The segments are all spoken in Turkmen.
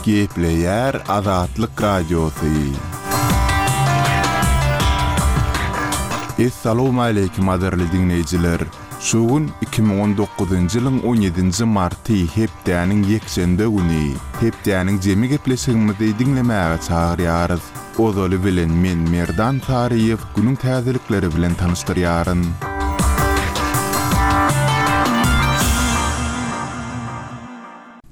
Gepleýär Azatlyk Radiosy. Essalowmaleýkim gadyrly diňleýjiler! Şu gün 2019-njy ýylyň on ýedinji marty hepdäniň ýekşenbe güni. Hepdäniň jemi gepleşigimizi diňlemäge çagyrýarys. Ozaly bilen men Merdan Saryýew günüň täzelikleri bilen tanyşdyrýaryn.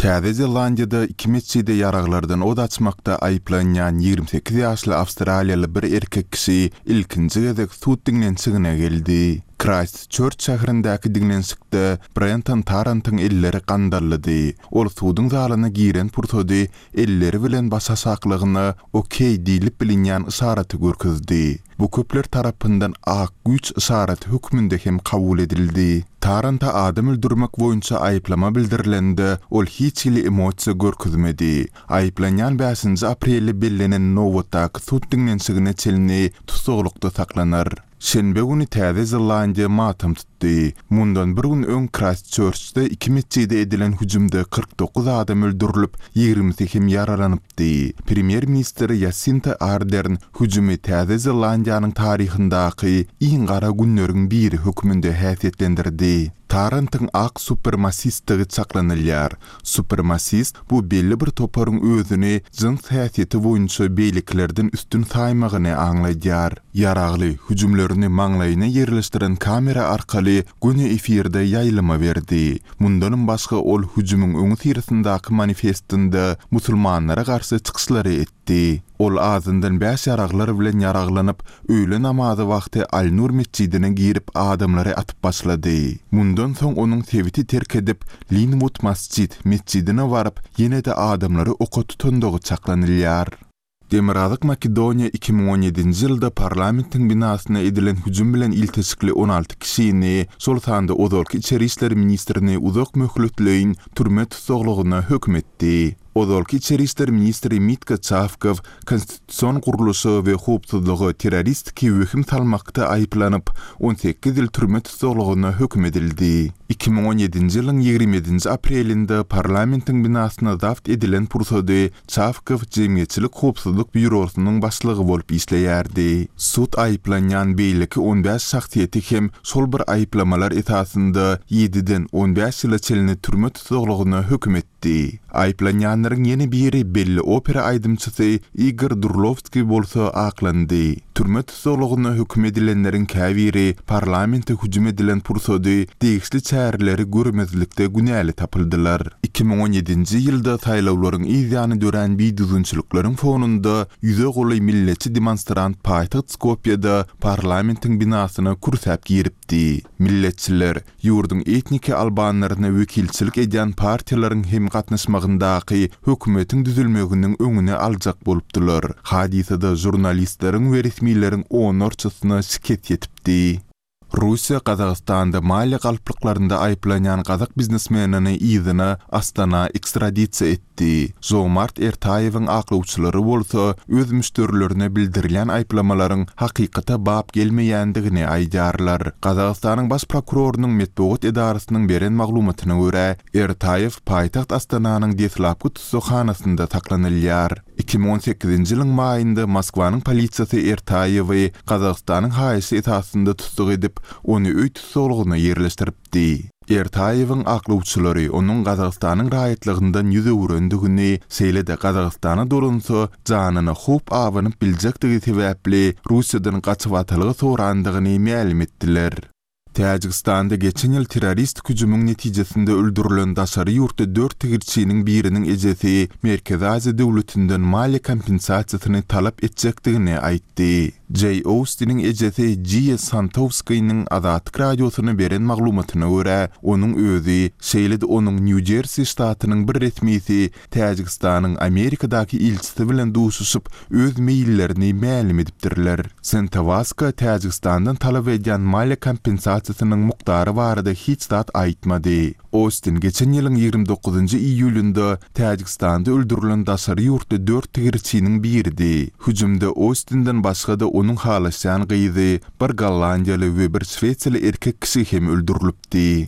Täze Zelandiýada iki metjide ýaraglardan ot açmakda aýyplanýan 28 ýaşly awstraliýaly bir erkek kişi ilkinji gezek sud diňlenişigine geldi. Kraýstçörç şäherindäki diňlenişikde Brenton Tarrantyň elleri gandallydy. Ol suduň zalyna giren pursady elleri bilen başaşaklygyna OK diýlip bilinýän yşaraty görkezdi. Bu köpler tarapyndan ak güýç yşaraty hökmünde hem kabul edildi. Tarranta adam öldürmek boýunça aýyplama bildirilende, ol hiç hili emosiýa görkezmedi. Aýyplanýan bäşinji aprelde bellenen nobatdaky sud diňlenişigine çenli tussaglykda saklanar. Şenbe güni Täze Zelandiýa matam tutdy. Mundan bir gün öň Kraýstçörçde iki metjide edilen hüjümde 49 adam öldürilip, ýigrimisi hem ýaralanypdy. Premýer-ministr Ýasinta Ardern hüjümi Täze Zelandiýanyň taryhyndaky iň gara günleriň biri hökmünde häsiýetlendirdi. Tarrantyň ak supremasistdigi çaklanylýar. Supremasist, bu belli bir toparyň özüni jyns häsiýeti boýunça beýlekilerden üstün saýmagyny aňladýar. Ýaragly hüjümlerini maňlaýyna ýerleşdiren kamera arkaly göni efirde ýaýlyma berdi. Mundanam başga ol hüjümiň öňüsyrasyndaky manifestinde musulmanlara garşy çykyşlary etdi. Ol azyndan bäş ýaraglar bilen ýaraglanyp, öýle namazy wagty Al-Nur metjidine girip adamlary atyp başlady. Mundan soň onuň sebiti terk edip, Linwood Masjid metjidine baryp, ýene-de adamlary oka tutandygy çaklanylýar. Demirgazyk Makedoniýa 2017-nji ýylda parlamentiň binasyna edilen hüjüm bilen ilteşikli 16 kişini, şol sanda ozalky içeri işler ministrini uzak möhletleýin türme tussaglygyna höküm etdi. Ozalky içeri işler ministri Mitko Çawkow konstitusion gurluşa we howpsuzlyga terroristiki wehim salmakda aýyplanyp, 18 ýyl türme tussaglygyna höküm edildi. 2017-nji ýylyň 27-nji aprelinde parlamentiň binasyna zabt edilen pursady Çawkow Jemgyýetçilik howpsuzlyk býurosynyň başlygy bolup işleýärdi. Sud aýyplanýan beýleki 15 şahsyýeti hem şol bir aýyplamalar esasynda ýediden 15 ýyla çenli türme tussaglygyna höküm etdi. Etdi. Aýyplanýanlaryň ýene biri belli opera aýdymçysy Igor Durlowskiý bolsa aklandy. Türme tussaglygyna höküm edilenleriň käbiri parlamente hüjüm edilen pursady degişli çäreleri görmezlikde günäli tapyldylar. 2017-nji ýylda saýlawlaryň yz ýany dörän bidüzgünçilikleriň fonunda ýüze golaý milletçi demonstrant paýtagt Skopýeda parlamentiň binasyna kürsäp giripdi. Milletçiler, ýurduň etniki albanlaryna wekilçilik edýän partiýalaryň hem gatnaşmagyndaky hökümetiň düzülmeginiň öňüni aljak bolupdylar. Hadysada žurnalistleriň we resmileriň onlarçasyna şikes ýetipdi. Russiýa Gazagystanda maliýe galplyklarynda aýyplanýan gazak biznesmenini yzyna Astana ekstradisiýa etdi. Etdi. Žomart Ertaýewiň aklawçylary bolsa öz müşderilerine bildirilýän aýyplamalaryň hakykata bap gelmeýändigini aýdýarlar. Gazagystanyň Baş prokurorynyň metbugat edarasynyň beren maglumatyna görä, Ertaýew paýtagt Astananyň deslapky tussaghanasynda saklanylýar. 2018-nji ýylyň maýynda Moskwanyň polisiýasy Ertaýewi Gazagystanyň haýyşy esasynda tussag edip, ony öý tussaglygyna ýerleşdiripdi. Ertaýewiň aklawçylary onuň Gazagystanyň raýatlygyndan ýüz öwürendigini, şeýle-de Gazagystana dolansa, janyna howp abanyp biljekdigi sebäpli Russiýadan gaçybatalga sorandygyny mälim etdiler. Täjigistanda geçen ýyl terroristik hüjümiň netijesinde öldürilen daşary ýurtly dört tigirçiniň biriniň ejesi Merkezi Aziýa döwletinden maliýe kompensasiýasyny talap etjekdigini aýtdy. Jeý Oustiniň ejesi Jiýa Santowskiniň Azatlyk Radiosyna beren maglumatyna görä, onuň özi, şeýle-de onuň Nýu-Jersi ştatynyň bir resmisi Täjigistanyň Amerikadaky ilçisi bilen duşuşyp, öz meýillerini mälim edipdirler. Sentowaska Täjigistandan talap edýän maliýe kompensasiýasynyň mukdary barada hiç zat aýtmady. Ostin geçen ýylyň 29-njy iýulynda Täjigistanda öldürilen daşary ýurtly dört tigirçiniň biridi. Hüjümde Ostinden başga-da onuň halaşýan gyzy, bir gollandiýaly we bir şwesiýaly erkek kişi hem öldürilipdi.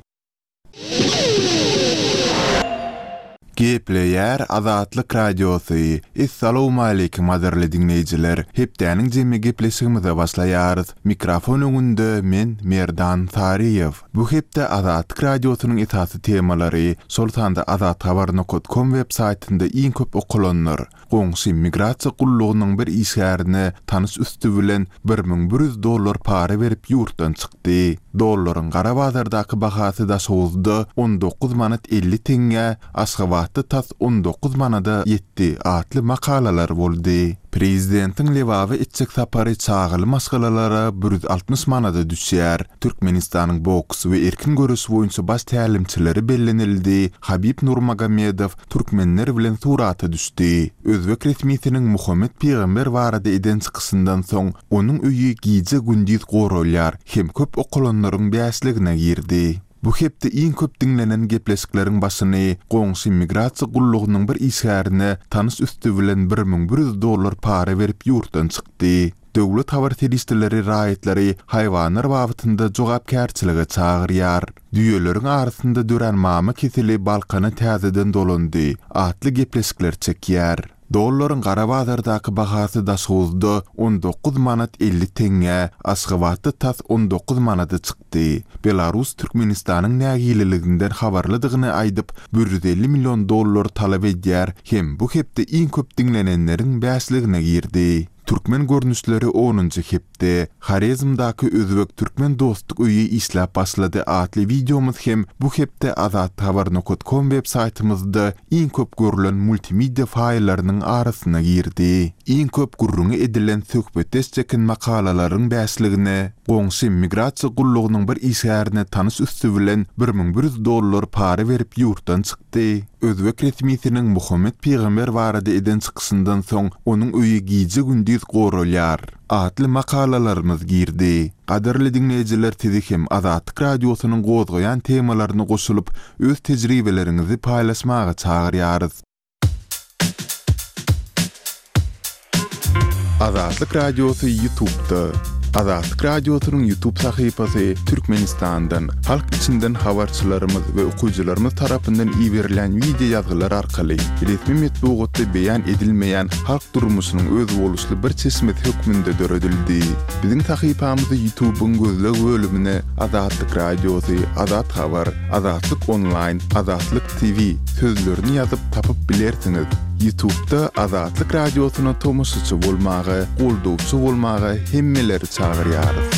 Gepleýär Azatlyk Radiosy, Essalowmaleýkim gadyrly diňleýjiler! Hepdäniň jemi gepleşigimize başlaýarys. Mikrofon öňünde men Merdan Saryýew. Bu hepde Azatlyk Radiosynyň esasy temalary, şol sanda azathabar nokat kom web saýtynda iň köp okalanlar, Goňşy migrasiýa gullugynyň bir işgärine tanyş üsti bilen 1100 dollar para berip ýurtdan çykdy. Dollaryň gara bazardaky bahasy Daşoguzda 19 manat 50 teňňä, Aşgabatda tas 19 manada ýetdi atly makalalar boldy. Prezidentiň Lebaba etjek sapary çagaly maşgalalara 160 manada düşýär. Türkmenistanyň boks we erkin göreş boýunça baş tälimçileri bellenildi, Habib Nurmagomedow türkmenler bilen surata düşdi. Özbek resmisiniň Muhammet pygamber barada eden çykyşyndan soň, onuň öýi gije-gündiz goralýar hem köp okalanlaryň bäşligine girdi. Bu hepde iň köp diňlenen gepleşikleriň başyny goňşy migrasiýa gullugynyň bir işgärine tanyş üsti bilen 1100 dollar para berip ýurtdan çykdy. Döwlet habar serişdeleri raýatlary haýwanlar babatynda jogapkärçilige çagyrýar. Düýeleriň arasynda dörän mama keseli Balkana täzeden dolandy atly gepleşikler çekýär. Dollaryň gara bazardaky bahasy Daşoguzda 19 manat 50 teňňä, Aşgabatda tas 19 manada çykdy. Belarus Türkmenistanyň nägileliginden habarlydygyny aýdyp, 150 million dollar talap edýär hem bu hepde iň köp diňlenenleriň bäşligine girdi. Türkmen görnüşleri onunjy hepde, Horezmdaky Özbek-türkmen dostluk öýi işläp başlady atly wideomyz hem bu hepde azathabar nokat kom web saýtymyzda iň köp görlen multimedia faýllarynyň arasyna girdi. Iň köp gürrüňi edilen söhbetdeş çeken makalalaryň bäşligine goňşy migrasiýa gullugynyň bir işgärine tanyş üsti bilen 1100 dollar para berip ýurtdan çykdy. Çykdy. Özbek resmisiniň Muhammet pygamber barada eden çykyşyndan soň onuň öýi gije-gündiz goralýar. Atly makalalarymyz girdi. Gadyrly diňleýjiler sizi hem Azatlyk Radiosynyň gozgaýan temalaryna goşulyp, öz tejribeleriňizi paýlaşmaga çagyrýarys. Azatlyk Radiosy Ýutubda. Azatlyk Radiosynyň Ýutub sahypasy Türkmenistandan, halk içinden habarçylarymyz we okyjylarymyz tarapyndan iberilýän wideo ýazgylar arkaly resmi metbugatda beýan edilmeýän halk durmuşynyň özboluşly bir çeşmesi hökmünde döredildi. Biziň sahypamyzy Ýutubyň gözleg bölümine Azatlyk Radiosy, Azat Habar, Azatlyk Onlaýn, Azatlyk TV sözlerini ýazyp tapyp bilersiňiz. Ýutubda Azatlyk Radiosyna tomaşaçy bolmaga, goldawçy bolmaga hemmeleri çagyrýarys.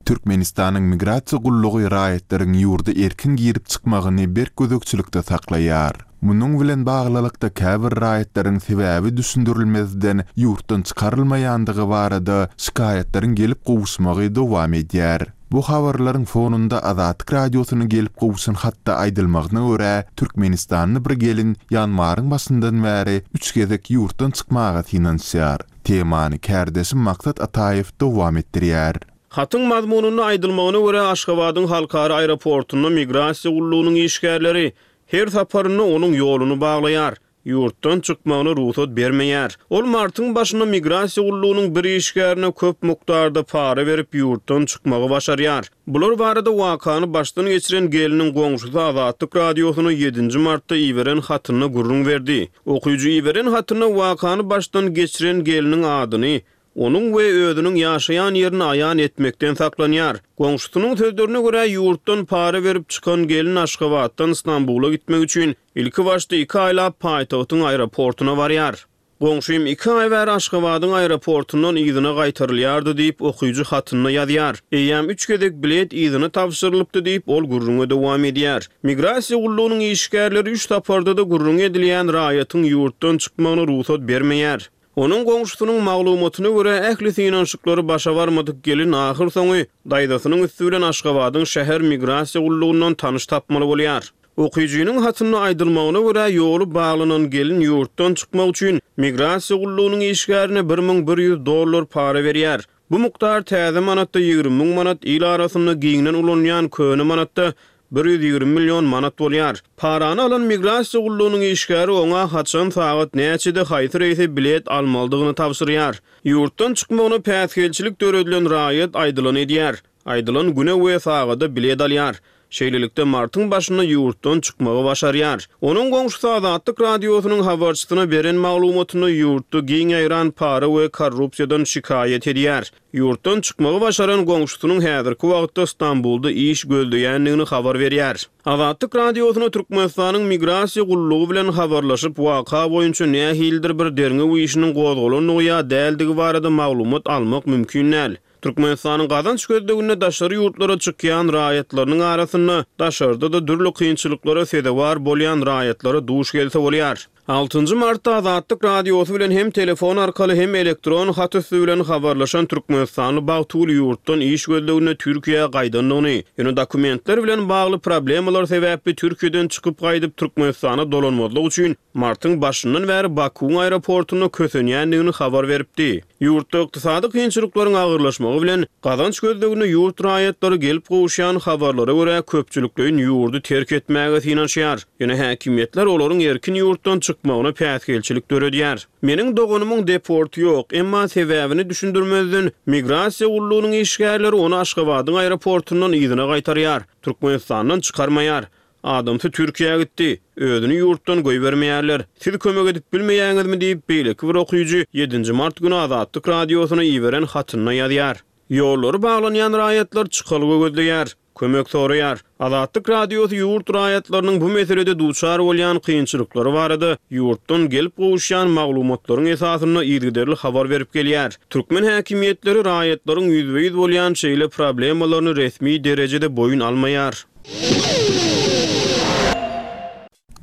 Türkmenistanyň Migrasiýa gullugy raýatlaryň ýurda erkin girip-çykmagyny berk gözegçilikde saklaýar. Munuň bilen baglylykda käbir raýatlaryň sebäbi düşündirilmezden ýurtdan çykarylmaýandygy barada şikaýatlaryň gelip gowuşmagy dowam edýär. Bu habarlaryň fonunda Azatlyk Radiosyna gelip gowşan hatda aýdylmagyna görä, türkmenistanly bir gelin ýanwaryň başyndan bäri üç gezek ýurtdan çykmaga synanyşýar. Temany kärdeşim Maksat Ataýew dowam etdirýär. Hatyň mazmunynda aýdylmagyna görä, Aşgabadyň halkara aeroportunda migrasiýa gullugynyň işgärleri her saparynda onuň ýoluny baglaýar. Ýurtdan çykmagyna rugsat bermeýär. Ol martyň başynda migrasiýa gullugynyň bir işgärine köp mukdarda para berip ýurtdan çykmagy başarýar. Bular barada wakany başdan geçiren gelniň goňşusy Azatlyk Radiosyna ýedinji martda iberen hatynda gürrüň berdi. Okyjy iberen hatynda wakany başdan geçiren gelniň adyny, Onuň we özüniň ýaşaýan ýerini aýan etmekden saklanýar. Goňşusynyň sözlerine görä, ýurtdan para berip çykan gelin Aşgabatdan Stambula gitmek üçin ilkibaşda iki aýlap paýtagtyň aeroportuna barýar. Goňşym iki aý bäri Aşgabadyň aeroportundan yzyna gaýtarylýardy diýip, okyjy hatynda ýazýar. Eýýäm üç gezek bilet yzyna tabşyrylypdy diýip, ol gürrüňe dowam edýär. Migrasiýa gullugynyň işgärleri üç saparda-da gürrüňi edilýän raýatyň ýurtdan çykmagyna rugsat bermeýär. Onuň goňşusynyň maglumatyna görä, ähli synanyşyklary başa barmadyk gelin ahyrsoňy daýzasynyň üsti bilen Aşgabadyň şäher migrasiýa gullugyndan tanyş tapmaly bolýar. Okyjynyň hatynda aýdylmagyna görä, ýoly baglanan gelin ýurtdan çykmak üçin migrasiýa gullugynyň işgärine 1100 dollar para berýär. Bu mukdar täze manatda 20 müň manat, il arasynda giňden ulanylýan köne manatda 120 million manat bolýar. Parany alan migrasiýa gullugynyň işgäri oňa haçan, sagat näçede, haýsy reýse bilet almalydygyny tabşyrýar. Ýurtdan çykmagyna päsgelçilik döredilen raýat aýdylany edýär. Aýdylan güne we sagada bilet alýar. Şeýlelikde, martyň başynda ýurtdan çykmagy başarýar. Onuň goňşusy Azatlyk Radiosynyň habarçysyna beren maglumatynda ýurtda giň ýaýran para we korrupsiýadan şikaýat edýär. Ýurtdan çykmagy başaran goňşusynyň häzirki wagtda Stambulda iş gözleýändigini habar berýär. Azatlyk Radiosyna Türkmenistanyň Migrasiýa gullugy bilen habarlaşyp, waka boýunça nähilidir bir derňew işiniň gozgalandygy ýa däldigi barada maglumat almak mümkin däl. Türkmenistanyň gazanç gözleginde daşary ýurtlara çykýan raýatlarynyň arasynda daşarda-da dürli kynçylyklara sezewar bolýan raýatlara duş gelse bolýar. Altynjy martda Azatlyk Radiosy bilen hem telefon arkaly, hem elektron hat üsti bilen habarlaşan türkmenistanly Bagtygül ýurtdan iş gözleginde Türkiýä gaýdandygyny, ýöne dokumentler bilen bagly problemalar sebäpli Türkiýeden çykyp gaýdyp Türkmenistana dolanmazlyk üçin martyň başyndan bäri Bakuwyň aeroportunda kösenýändigini habar beripdi. Ýurtda ykdysady kynçylyklaryň agyrlaşmagy bilen, gazanç gözleginde ýurt raýatlary gelip gowuşýan habarlara görä köpçülikleýin ýurdy terk etmäge synanyşýar. Ýöne häkimiýetler olaryň erkin ýurtdan çykmagyna päsgelçilik döredýär. Meniň doganymyň deporty ýok, emma sebäbini düşündirmezden, migrasiýa gullugynyň işgärleri ony Aşgabadyň aeroportundan yzyna gaýtarýar, Türkmenistandan çykarmaýar. Adamsy Türkiýä gitdi. Özüni ýurtdan goýbermeýärler. Siz kömek edip bilmeýäňizmi diýip, beýleki bir okyjy ýedinji mart güni Azatlyk Radiosyna iberen hatynda ýazýar. Ýollary baglanýan raýatlar çykalga gözleýär. Kömek soraýar. Azatlyk Radiosy ýurt raýatlarynyň bu meselede duçar bolýan kynçylyklary barada ýurtdan gelip gowuşýan maglumatlaryň esasynda yzygiderli habar berip gelýär. Türkmen häkimiýetleri raýatlaryň ýüzbe-ýüz bolýan şeýle problemalaryny resmi derejede boýun almaýar.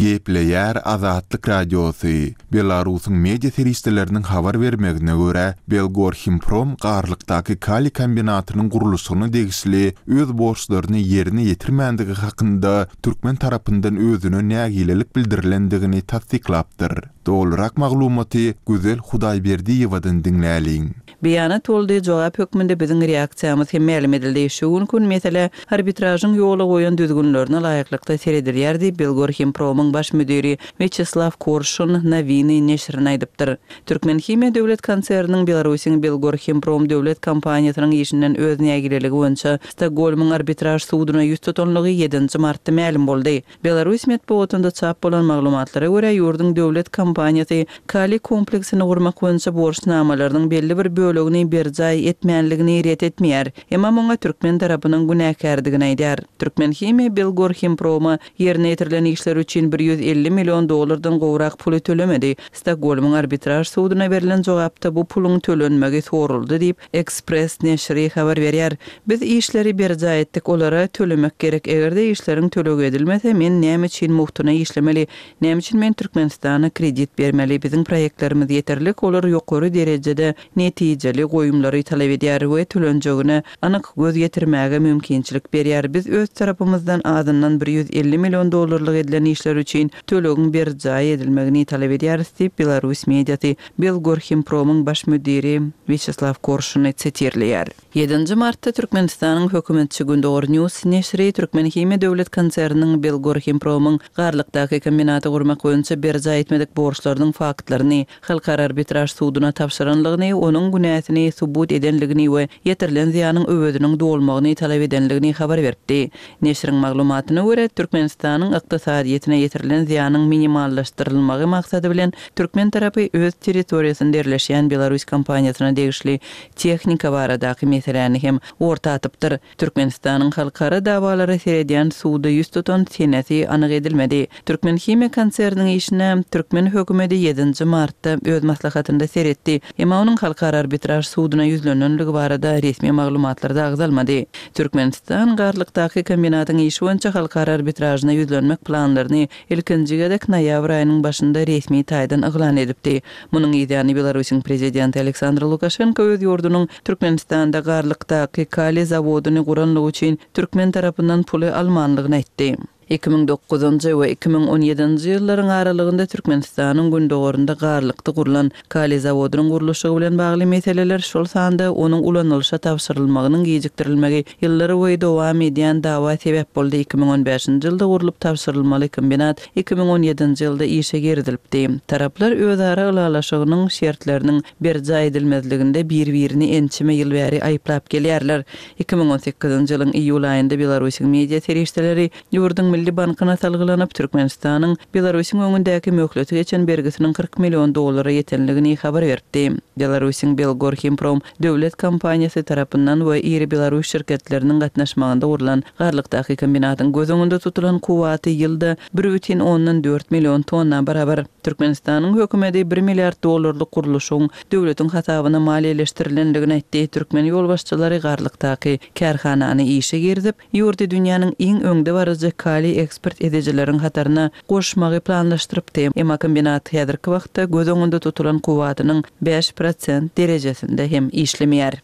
Gepleýär Azatlyk Radiosy, Belarusyň media serişdeleriniň habar bermegine görä, Belgorhimprom Garlykdaky kaliý kombinatynyň gurluşygyna degişli öz borçlaryny ýerine ýetirmändigi hakynda türkmen tarapyndan özüne nägilelik bildirilendigini tassyklapdyr. Dolurak maglumaty Gözel Hudaýberdiýewadan diňläliň. Beýanat boldy, jogap hökmünde biziň reaksiýamyz hem mälim edildi. Şu günki gün meselä arbitražyň ýola goýan düzgünlerine laýyklykda seredilýär diýip, Belgorhimpromyň baş müdiri Wýaçeslaw Korşun Nowiny neşirine aýdypdyr. Türkmenhimiýa döwlet konserniniň Belarusyň Belgorhimprom döwlet kompaniýasynyň işinden öz nägileligi boýunça Stokgolmyň arbitraž suduna ýüz tutanlygy ýedinji martda mälim boldy. Belarus metbugatynda çap bolan maglumatlara görä, ýurduň döwlet kompaniýasy kaliý kompleksini gurmak boýunça borçnamalarynyň belli bir bölegini berjaý etmänligini ret etmeýär, emma muňa türkmen tarapynyň günäkärdigini aýdýar. Türkmenhimiýa Belgorhimproma ýerine ýetirilen işler üçin 150 million dollardan gowrak puly tölemedi. Stokgolmyň arbitraž suduna berlen jogapda bu puluň tölenmegi soraldy diýip, Express neşiri habar berýär. Biz işleri berjaý etdik, olara tölemek gerek. Eger-de işleriň tölegi edilmese, men näme üçin mugtuna işlemeli? Näme üçin men Türkmenistana kredit bermeli? Biziň proýektlerimiz ýeterlik, olar ýokary derejede netijeli goýumlary talap edýär we tölenjegine anyk göz ýetirmäge mümkinçilik berýär. Biz öz tarapymyzdan azyndan 150 million dollarlyk edilen işler üçin tölegiň berjaý edilmegini talap edýäris diýip, belarus mediasy Belgorhimpromyň baş müdiri Wýaçeslaw Korşuny sitirleýär. Ýedinji martda Türkmenistanyň hökümetçi Gündogar News neşiri Türkmenhimiýa döwlet konserniniň Belgorhimpromyň Garlykdaky kombinaty gurmak boýunça berjaý etmedik borçlarynyň faktlaryny Halkara arbitraž suduna tabşyranlygyny, onuň günäsini subut edenligini we ýetirilen zyýanyň öweziniň dolmagyny talap edenligini habar beripdi. Neşiriň maglumatyna görä, Türkmenistanyň ykdysadyýetine ýetirilen zyýanyň minimallaşdyrylmagy maksady bilen, türkmen tarapy öz territoriýasynda ýerleşýän belarus kompaniýasyna degişli tehnika baradaky meseläni hem orta atypdyr. Türkmenistanyň halkara dawalara seredýän suda ýüz tutan senesi anyk edilmedi. Türkmenhimiýa konserniniň işine türkmen hökümeti ýedinji martda öz maslahatynda seretdi, emma onuň Halkara arbitraž suduna ýüzlenenligi barada resmi maglumatlarda agzalmady. Türkmenistan Garlykdaky kombinatyň işi boýunça halkara arbitražyna ýüzlenmek planlaryny ilkinji gezek noýabr aýynyň başynda resmi taýdan yglan edipdi. Munuň yzýany Belarusyň prezidenti Aleksandr Lukaşenko öz ýurdunyň Türkmenistanda Garlykdaky kaliý zawodyny guranlygy üçin türkmen tarapyndan puly almanlygyny aýtdy. 2009-njy we 2017-nji ýyllaryň aralygynda Türkmenistanyň gündogarynda Garlykda gurlan kaliý zawodynyň gurluşygy bilen bagly meseleler, şol sanda onuň ulanylyşa tabşyrylmagynyň gijikdirilmegi ýyllarboýy dowam edýän dawa sebäp boldy. 2015-nji ýylda gurlup tabşyrylmaly kombinat 2017-nji ýylda işe girizilipdi. Taraplar özara ylalaşygynyň şertleriniň berjaý edilmezliginde bir-birini ençeme ýyl bäri aýyplap gelýärler. 2018-nji ýylyň iýul aýynda Belarusyň media serişdeleri ýurduň Milli bankyna salgylanyp, Türkmenistanyň Belarusyň öňündäki möhleti geçen bergisiniň 40 million dollara ýetenligini habar beripdi. Belarusyň Belgorhimprom döwlet kompaniýasy tarapyndan we iri belarus şirketleriniň gatnaşmagynda gurlan Garlykdaky kombinatyň göz öňünde tutulan kuwwaty ýylda bir bütin ondan dört million tonna barabar. Türkmenistanyň hökümeti bir milliard dollarlyk gurluşygyň döwletiň hasabyna maliýeleşdirilendigini aýtdy. Türkmen ýolbaşçylary Garlykdaky kärhanany işe girizip, ýurdy dünýäniň iň öňdebaryjy kaliý eksport edijileriň hataryna goşmagy planlaşdyrypdy. Emma kombinat häzirki wagtda göz öňünde tutulan kuwwatynyň 5% derejesinde hem işlemeýär.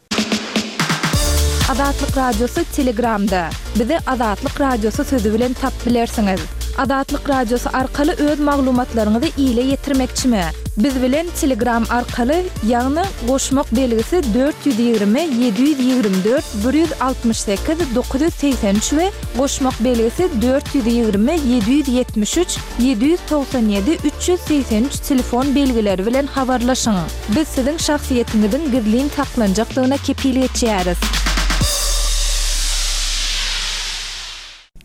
Azatlyk Radiosy Telegramda! Bizi Azatlyk Radiosy sözi bilen tap bilersiňiz. Azatlyk Radiosy arkaly öz maglumatlaryňyzy ile ýetirmekçimi? Biz bilen Telegram arkaly, ýagny goşmak belgisi 420 724 168 983 we goşmak belgisi 420 773 797 383 telefon belgileri bilen habarlaşyň. Biz siziň şahsyýetiňiziň gizlin saklanjakdygyna kepil geçýäris.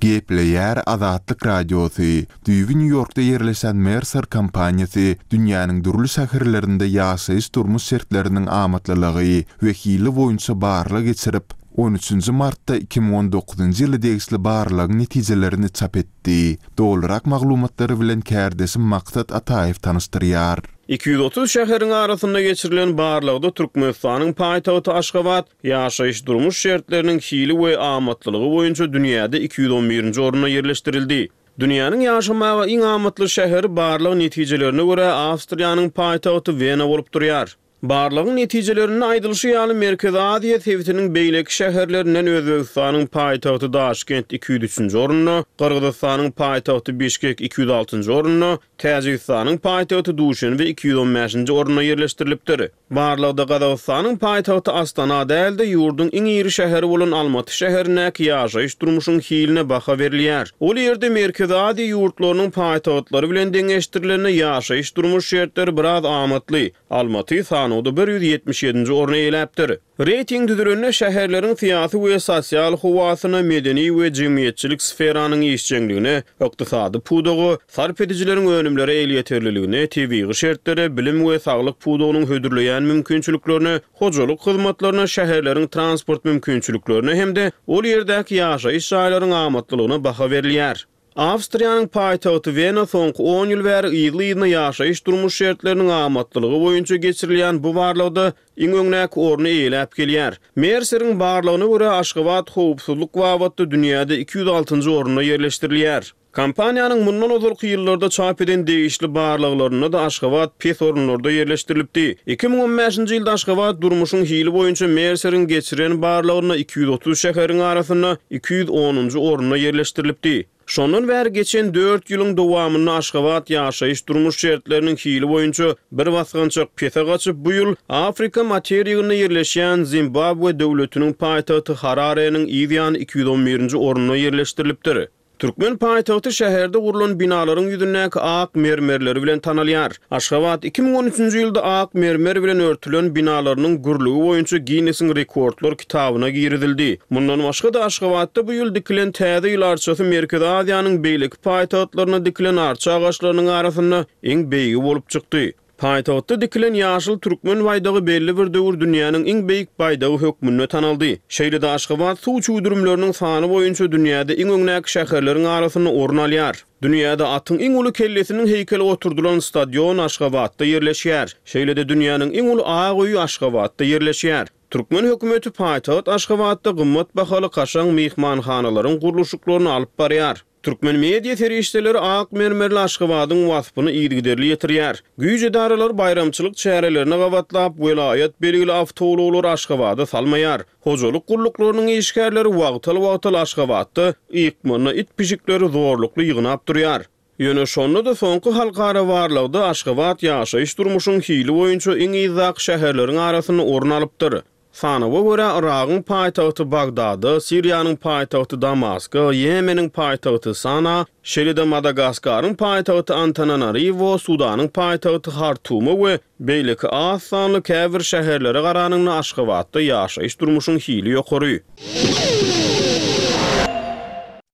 Gepleýär Azatlyk Radiosy, Düýbi Nýu-Ýorkda ýerleşen Mercer kompaniýasy dünýäniň dürli şäherlerinde ýaşaýyş-durmuş şertleriniň amatlylygy we hili boýunça barlag geçirip, on üçünji martda 2019-njy ýyla degişli barlagyň netijelerini çap etdi. Dolurak maglumatlary bilen kärdeşim Maksat Ataýew tanyşdyrýar. 230 şäheriň arasynda geçirilen barlagda Türkmenistanyň paýtagty Aşgabat ýaşaýyş-durmuş şertleriniň hili we amatlylygy boýunça dünýäde 211-nji orunda ýerleşdirildi. Dünýäniň ýaşamaga iň amatly şäheri barlag netijelerine görä Awstriýanyň paýtagty Wena bolup durýar. Barlagyň netijelerinde aýdylyşy ýaly, Merkezi Aziýa sebitiniň beýleki şäherlerinden Özbegistanyň paýtagty Daşkent 203-nji orunda, Gyrgyzystanyň paýtagty Bişkek 206-njy orunda, Täjigistanyň paýtagty Duşenbe 215-nji orunda ýerleşdirilipdir. Barlagda Gazagystanyň paýtagty Astana däl-de, ýurduň iň iri şäheri bolan Almaty şäherindäki ýaşaýyş-durmuşyň hiline baha berilýär. Ol ýerde Merkezi Aziýa ýurtlarynyň paýtagtlary bilen deňeşdirilende ýaşaýyş-durmuş şertleri biraz amatly. Almaty sanawda 177-nji orny eýeläpdir. Reýting düzülende şäherleriň syýasy we sosial howasyna, medeni we jemgyýetçilik sferanyň işjeňligine, ykdysady pudaga, sarp edijileriň önümlere elýeterliligine, tebigy şertlere, bilim we saglyk pudagynyň hödürleýän mümkinçiliklerine, hojalyk hyzmatlaryna, şäherleriň transport mümkinçiliklerine hem-de ol ýerdäki ýaşaýyş jaýlaryň amatlylygyna baha berilýär. Awstriýanyň paýtagty Wena soňky on ýyl bäri yzly-yzyna ýaşaýyş-durmuş şertleriniň amatlylygy boýunça geçirilýän bu barlagda iň öňdäki orny eýeläp gelýär. Merseriň barlagyna görä, Aşgabat howpsuzlyk babatda dünýäde 206-njy orunda ýerleşdirilýär. Kompaniýanyň mundan ozalky ýyllarda çap eden degişli barlaglarynda-da Aşgabat pes orunlarda ýerleşdirilipdi. 2015-nji ýylda Aşgabat durmuşyň hili boýunça Merseriň geçiren barlagynda 230 şäheriň arasynda 210-njy orunda ýerleşdirilipdi. Şondan bäri geçen dört ýylyň dowamynda Aşgabat ýaşaýyş-durmuş şertleriniň hili boýunça bir basgançak pese gaçyp, bu ýyl Afrika materiginde ýerleşýän Zimbabwe döwletiniň paýtagty Harareniň yz ýany 211-nji orunda ýerleşdirilipdir. Türkmen paýtagty şäherde gurlan binalaryň ýüzündäki ak mermerleri bilen tanalýar. Aşgabat 2013-nji ýylda ak mermer bilen örtülen binalarynyň gürlügi boýunça Ginnesiň rekordlar kitabyna girizildi. Mundan başga-da, Aşgabatda bu ýyl dikilen Täze ýyl arçasy Merkezi Aziýanyň beýleki paýtagtlarynda dikilen arça agaçlarynyň arasynda iň beýigi bolup çykdy. Paýtagtda dikilen ýaşyl türkmen baýdagy belli bir döwür dünýäniň iň beýik baýdagy hökmünde tanaldy. Şeýle-de Aşgabat suw çüwdürimleriniň sany boýunça dünýäde iň öňdäki şäherleriň arasynda orun alýar. Dünýäde atyň iň uly kellesiniň heýkeli oturdylan stadion Aşgabatda ýerleşýär. Şeýle-de dünýäniň iň uly ak öýi Aşgabatda ýerleşýär. Türkmen hökümeti paýtagt Aşgabatda gymmat bahaly kaşaň myhmanhanalaryň gurluşyklaryny alyp barýar. Türkmen media serişdeleri ak mermerli Aşgabadyň waspyny yzygiderli ýetirýär. Güýç edaralary baýramçylyk çärelerine gabatlap, welaýat belgili awtoulaglary Aşgabada salmaýar. Hojalyk gulluklarynyň işgärleri wagtal-wagtal Aşgabatda ykmanda it-pişikleri zorlukly ýygnap durýar. Ýöne şonda-da soňky halkara barlagda Aşgabat ýaşaýyş-durmuşyň hili boýunça iň yzdaky şäherleriň arasynda orun alypdyr. Sanawa görä, Yragyň paýtagty Bagdada, Siriýanyň paýtagty Damaska, Ýemeniň paýtagty Sana, şeýle-de Madagaskaryň paýtagty Antananariwo, Sudanyň paýtagty Hartuma we beýleki az sanly käbir şäherlere garanyňda Aşgabatda ýaşaýyş-durmuşyň hili ýokary.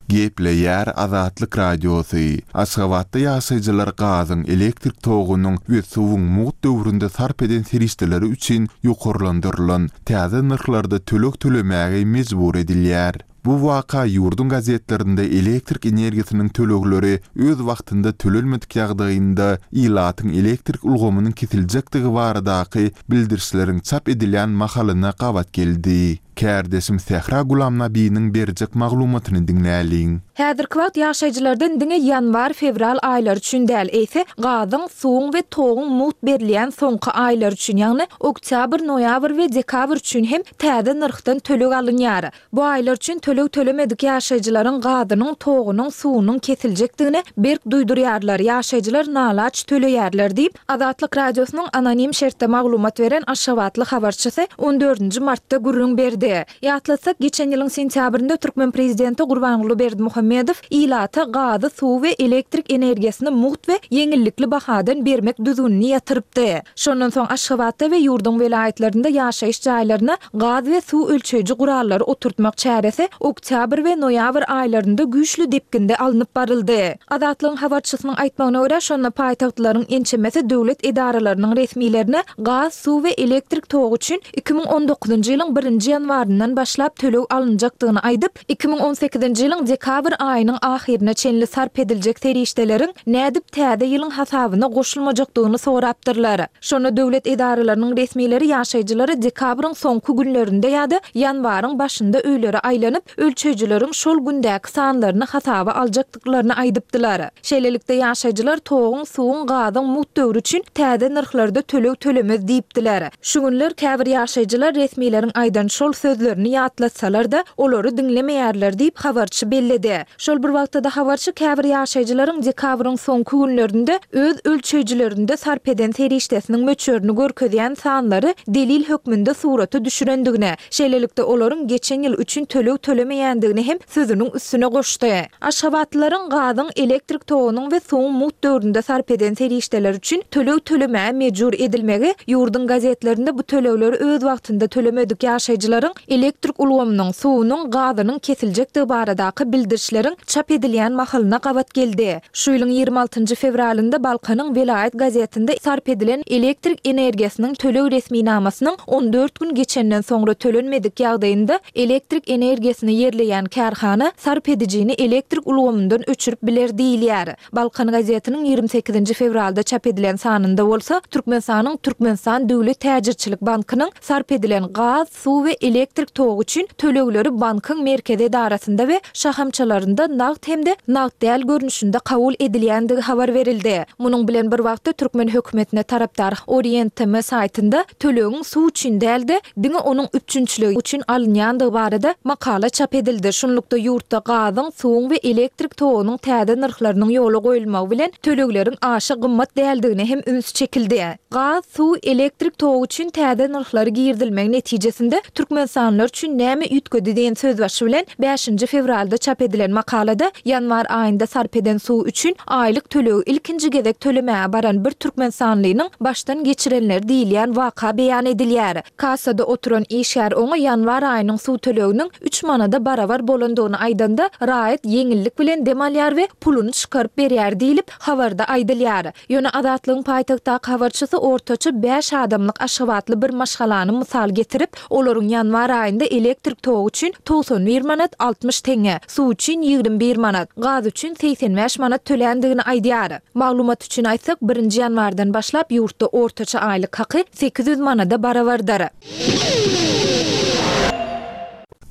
Gepleýär Azatlyk Radiosy, Aşgabatda ýaşaýjylar gazyň, elektrik togunyň we suwuň mugt döwründe sarp eden serişdeleri üçin ýokarlandyrylan täze nyrhlarda töleg tölemäge mejbur edilýär. Bu waka ýurduň gazetlerinde elektrik energiýasynyň tölegleri öz wagtynda tölenmedik ýagdaýynda ilatyň elektrik ulgamynyň kesiljekdigi baradaky bildirişleriň çap edilýän mahalyna gabat geldi. Kärdeşim Sähra Gulamnabiniň berjek maglumatyny diňläliň. Häzirki wagt ýaşaýjylardan diňe ýanwar-fewral aýlary üçin däl, eýse, gazyň, suwuň we toguň mugt berilýän soňky aýlary üçin, ýagny oktýabr, noýabr we dekabr üçin hem täze nyrhdan töleg alynýar. Bu aýlar üçin töleg tölemedik ýaşaýjylaryň gazynyň, togunyň, suwunyň kesiljekdigini berk duýdurýarlar, ýaşaýjylar nalaç töleýärler diýip, Azatlyk Radiosynyň anonim şertde maglumat beren aşgabatly habarçysy on dördünji martda gürrüň berdi. Ýatlatsak, geçen ýylyň sentýabrynda türkmen prezidenti Gurbanguly Berdimuhamedow ilata gazy, suwy we elektrik energiýasyny mugt we ýeňillikli bahadan bermek düzgünini ýatyrypdy. Şondan soň Aşgabatda we ýurduň welaýatlarynda ýaşaýyş jaýlaryna gaz we suw ölçeýji gurallary oturtmak çäresi oktýabr we noýabr aýlarynda güýçli depginde alnyp baryldy. Azatlygyň habarçysynyň aýtmagyna görä, şonda paýtagtlylaryň ençemesi döwlet edaralarynyň resmilerine gaz, suw we elektrik togy üçin 2019-njy ýylyň birinji ýanwaryndan başlap töleg alynjakdygyny aýdyp, 2018-nji ýylyň dekabr aýynyň ahyryna çenli sarp ediljek serişdeleriň nädip täze ýylyň hasabyna goşulmajakdygyny sorapdyrlar. Şonda döwlet edaralarynyň resmileri ýaşaýjylara dekabryň soňky günlerinde ýa-da ýanwaryň başynda öýlere aýlanyp, ölçeýjileriň şol gündäki sanlaryny hasaba aljakdyklaryny aýdypdylar. Şeýlelikde, ýaşaýjylar toguň, suwuň, gazyň mugt döwri üçin täze nyrhlarda töleg tölemez diýipdiler. Şu günler käbir ýaşaýjylar resmileriň aýdan şol sözlerini ýatlatsalar-da, olary diňlemeýärler diýip, habarçy belledi. Şol bir wagtda-da habarçy käbir ýaşaýjylaryň dekabryň soňky günlerinde öz ölçeýjilerinde sarp eden serişdesiniň möçberini görkezýän sanlary delil hökmünde surata düşürendigini, şeýlelikde olaryň geçen ýyl üçin töleg tölemeýändigini hem sözüniň üstüne goşdy. Aşgabatlylaryň gazyň, elektrik togunyň we suwuň mugt döwründe sarp eden serişdeleri üçin töleg tölemäge mejbur edilmegi ýurduň gazetlerinde bu tölegleri öz wagtynda tölemedik ýaşaýjylaryň elektrik ulgamynyň, suwunyň, gazynyň kesiljekdigi baradaky bildirişleriň çap edilýän mahalyna gabat geldi. Şu ýylyň 26 njy fewralynda Balkanyň welaýat gazetinde sarp edilen elektrik energiýasynyň töleg resminamasynyň 14 gün geçenden soňra tölenmedik ýagdaýynda elektrik energiýasyny ýerleýän kärhana sarp edijini elektrik ulgamyndan öçürip biler diýilýär. Balkan gazetiniň 28 nji fewralda çap edilen sanynda bolsa Türkmenistanyň Türkmenistan döwlet täjirçilik bankynyň sarp edilen gaz, suw we elektrik togy üçin tölegleri bankyň merkezi edarasynda we şahamçalarynda nagt hem-de nagt däl görnüşinde kabul edilýändigi habar berildi. Munuň bilen bir wagtda türkmen hökümetine tarapdar Orient TM saýtynda tölegiň suw üçin däl-de, diňe onuň üpjünçiligi üçin alynýandygy barada makala çap edildi. Şunlukda ýurtda gazyň, suwuň we elektrik togunyň täze nyrhlarynyň ýola goýulmagy bilen tölegleriň aşa gymmat däldigine hem üns çekildi. Gaz, suw, elektrik togy üçin täze nyrhlary girizilmegi netijesinde türkmenistanlylar üçin näme üýtgedi diýen sözbaşy bilen bäşinji fewralda çap edilen makalada ýanwar aýynda sarp eden suwy üçin aýlyk tölegi ilkinji gezek tölemäge baran bir türkmenistanlynyň başdan geçirenleri diýilýän waka beýan edilýär. Kassada oturan işgär oňa ýanwar aýynyň suw töleginiň üç manada barabar bolandygyny aýdanda, raýat ýeňillik bilen dem alýar we puluny çykaryp berýär diýlip, habarda aýdylýar. Ýöne Azatlygyň paýtagtdaky habarçysy ortaça bäş adamlyk aşgabatly bir maşgalany mysal getirip, olaryň ýanwar aýynda elektrik togy üçin 91 manat 60 teňňe, suw üçin 21 manat, gaz üçin 85 manat töländigini aýdýar. Maglumat üçin aýtsak, birinji ýanwardan başlap ýurtda ortaça aýlyk haky 800 manada barabardyr.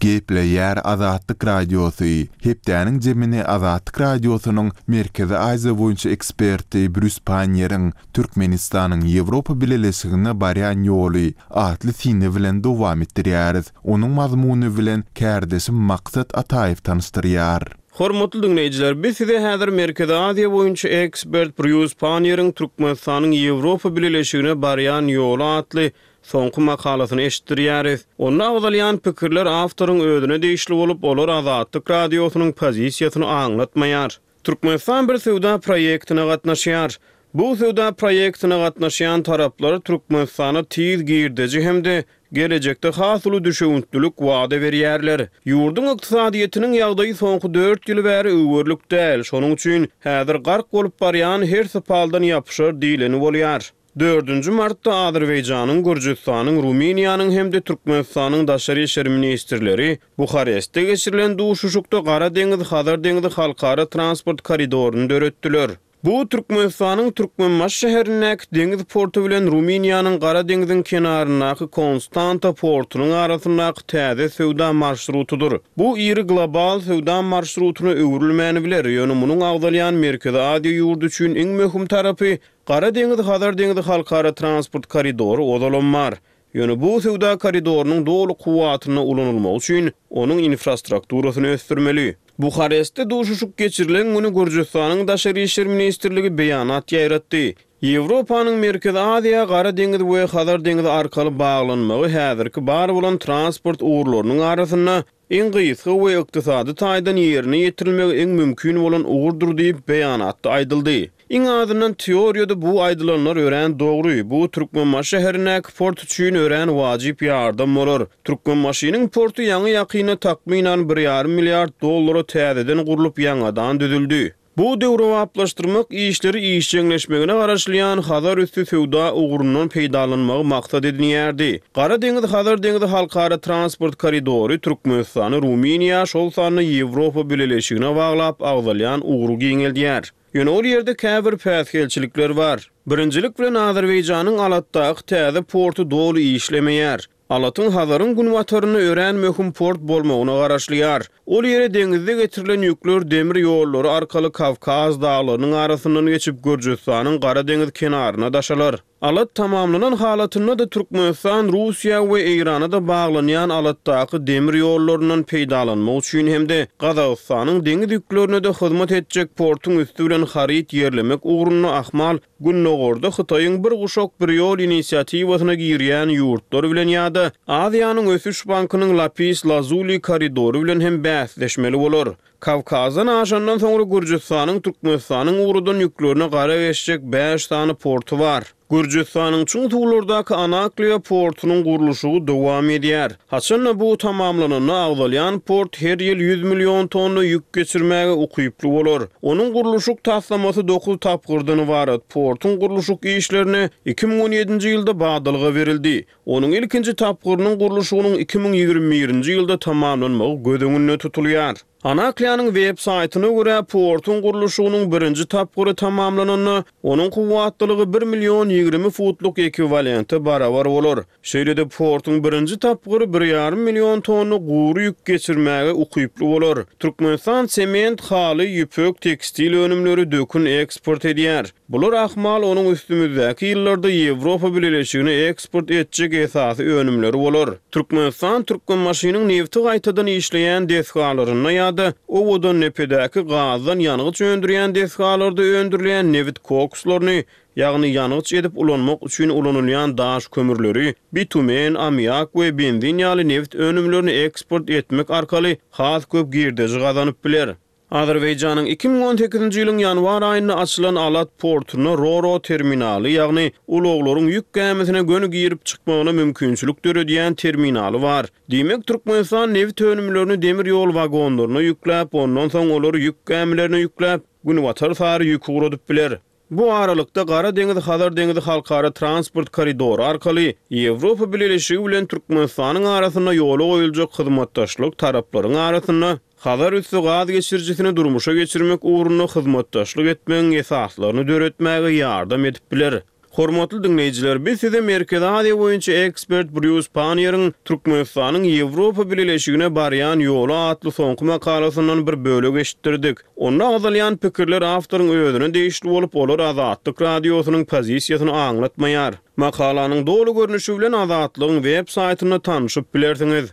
Gepleýär Azatlyk Radiosy, Hepdäniň jemini Azatlyk Radiosynyň Merkezi Aziýa boýunça eksperti Brýus Panniýeriň Türkmenistanyň Ýewropa Bileleşigine barýan ýoly atly syny bilen dowam etdirýäris. Onuň mazmuny bilen kärdeşim Maksat Ataýew tanyşdyrýar. Hormatly diňleýjiler, biz size häzir Merkezi Aziýa boýunça ekspert Brýus Panniýeriň Türkmenistanyň Ýewropa Bileleşigine barýan ýoly atly soňky makalasyny eşitdirýäris. Onda agzalýan pikirler awtoryň özüne degişli bolup, olar Azatlyk Radiosynyň pozisiýasyny aňlatmaýar. Türkmenistan bir söwda proýektine gatnaşýar. Bu söwda proýektine gatnaşýan taraplar Türkmenistana tiz girdeji hem-de gelejekde has uly düşewüntlilik wada berýärler. Ýurduň ykdysadyýetiniň ýagdaýy soňky dört ýyl bäri öwerlik däl, şonuň üçin häzir gark bolup barýan her sypaldan ýapyşar diýleni bolýar. Dördünji martda Azerbaýjanyň, Gürjüstanyň, Rumyniýanyň hem-de Türkmenistanyň daşary işler ministrleri Buharestde geçirilen duşuşykda Gara deňiz-Hazar deňzi halkara transport koridoryny döretdiler. Bu Türkmenistanyň Türkmenbaşy şäherindäki deňiz porty bilen Rumyniýanyň Gara deňziň kenaryndaky Konstanta portunyň arasyndaky täze söwda marşrutydyr. Bu iri global söwda marşrutyna öwrülmän biler, ýöne munuň agzalýan Merkezi Aziýa ýurdy üçin iň möhüm tarapy Gara deňiz-Hazar deňzi halkara transport koridory ozalam bar. Ýöne bu söwda koridorynyň doly kuwwatynda ulanylmagy üçin onuň infrastrukturasyny ösdürmeli. Buharestde duşuşyk geçirilen güni Gürjüstanyň Daşary işler ministrligi beýanat ýaýratdy. Ýewropanyň Merkezi Aziýa Gara deňiz we Hazar deňizi arkaly baglanmagy häzirki bar bolan transport ugurlarynyň arasynda Iň gysga we ykdysady taýdan ýerine ýetirilmegi iň mümkin bolan ugurdyr diýip, beýanatda aýdyldy. Iň azyndan teoriýada bu aýdylanlar örän dogry, bu Türkmenbaşy şäherindäki port üçin örän wajyp ýardam bolar. Türkmenbaşynyň porty ýaňy-ýakynda takmynan bir ýarym milliard dollara täzeden gurlup ýaňadan düzüldi. Bu döwrebaplaşdyrmak işleri işjeňleşmegine garaşylýan Hazar üsti söwda ugrundan peýdalanmagy maksat edinýärdi. Gara deňiz-Hazar deňizi halkara transport koridory Türkmenistany Rumyniýa, şol sanda Ýewropa Bileleşigine baglap agzalýan ugry giňeldýär. Ýöne ol ýerde käbir päsgelçilikler bar. Birinjilik bilen Azerbaýjanyň Alatdaky täze porty doly işlemeýär. Alatyň Hazaryň günbatarynda örän möhüm port bolmagyna garaşylýar. Ol ýere deňizde getirilen ýükler demir ýollary arkaly Kawkaz daglarynyň arasyndan geçip Gürjüstanyň Gara deňiz kenaryna daşalar. Alat tamamlanan halatynda-da Türkmenistan Russiýa we Eýrana-da baglanýan Alatdaky demir ýollaryndan peýdalanmak üçin hem-de Gazagystanyň deňiz ýüklerine-de hyzmat etjek portuň üsti bilen haryt ýerlemek ugrunda ahmal Gündogarda Hytaýyň Bir guşak, bir ýol inisiatiwasyna girýän ýurtlar bilen ýa-da Aziýanyň ösüş bankynyň Lapis Lazuli koridory bilen hem bäsleşmeli bolar. Kawkazdan aşandan soňra Gürjüstanyň Türkmenistanyň ugradan ýüklerine gara geçjek bäş sany porty bar. Gürjüstanyň çuň suwlardaky Anakliýa portunyň gurluşygy dowam edýär. Haçan-da bu tamamlananda agzalýan port her ýyl 100 million tonna ýük geçirmäge ukyply bolar. Onuň gurluşyk taslamasy dokuz tapgyrdan ybarat. Portuň gurluşyk işlerine 2017-nji ýylda badalga berildi. Onuň ilkinji tapgyrynyň gurluşygynyň 2021-nji ýylda tamamlanmagy göz öňünde tutulýar. Anakliýanyň web saýtyna görä, portuň gurluşygynyň birinji tapgyry tamamlananda, onuň kuwwatlylygy bir million 20 futluk ekwiwalente barabar bolar. Şeýle-de portuň birinji tapgyry bir ýarym million tonna gury ýük geçirmäge ukyply bolar. Türkmenistan sement, haly, ýüpek, tekstil önümleri, dökün eksport edýär. Bular ahmal onuň üstümizdäki ýyllarda Ýewropa Bileleşigine eksport etjek esasy önümleri bolar. Türkmenistan Türkmenbaşynyň nebti gaýtadan işleýän desgalarynda ýa-da Owadandepedäki gazdan ýangyç öndürýän desgalarda öndürilýän nebit kokslaryny ýagny ýangyç edip ulanmak üçin ulanylýan daş kömürleri, bitumen, ammiak we benzin ýaly nebit önümlerini eksport etmek arkaly has köp girdeji gazanyp biler. Azerbaýjanyň 2018-nji ýylyň ýanwar aýynda açylan Alat portunda Ro-Ro terminaly, ýagny ulaglaryň ýük gämisine göni girip çykmagyna mümkinçilik döredýän terminaly bar. Diýmek, Türkmenistan nebit önümlerini demir ýol wagonlaryna ýükläp, ondan soň olary ýük gämilerine ýükläp, günbatar sary ýük ugradyp biler. Bu aralykda, Gara deňiz-Hazar deňizi halkara transport koridory arkaly Ýewropa Bileleşigi bilen Türkmenistanyň arasynda ýola goýuljak hyzmatdaşlyk taraplaryň arasynda Hazar üsti gaz geçirijisini durmuşa geçirmek ugrunda hyzmatdaşlyk etmegiň esaslaryny döretmäge ýardam edip biler. Hormatly diňleýjiler, biz size Merkezi Aziýa boýunça ekspert Brýus Panniýeriň Türkmenistanyň Ýewropa Bileleşigine barýan ýoly atly soňky makalasyndan bir bölek eşitdirdik. Onda agzalýan pikirler awtoryň özüne degişli bolup, olar Azatlyk Radiosynyň pozisiýasyny aňlatmaýar. Makalanyň doly görnüşi bilen Azatlygyň web saýtynda tanşyp bilersiňiz.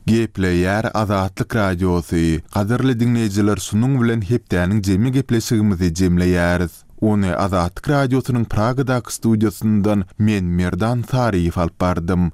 Gepleýär Azatlyk Radiosy, Gadyrly diňleýjiler şunuň bilen hepdäniň jemi gepleşigimizi jemleýäris. Ony Azatlyk Radiosynyň Pragadaky studiýasyndan men Merdan Saryýew alyp bardym.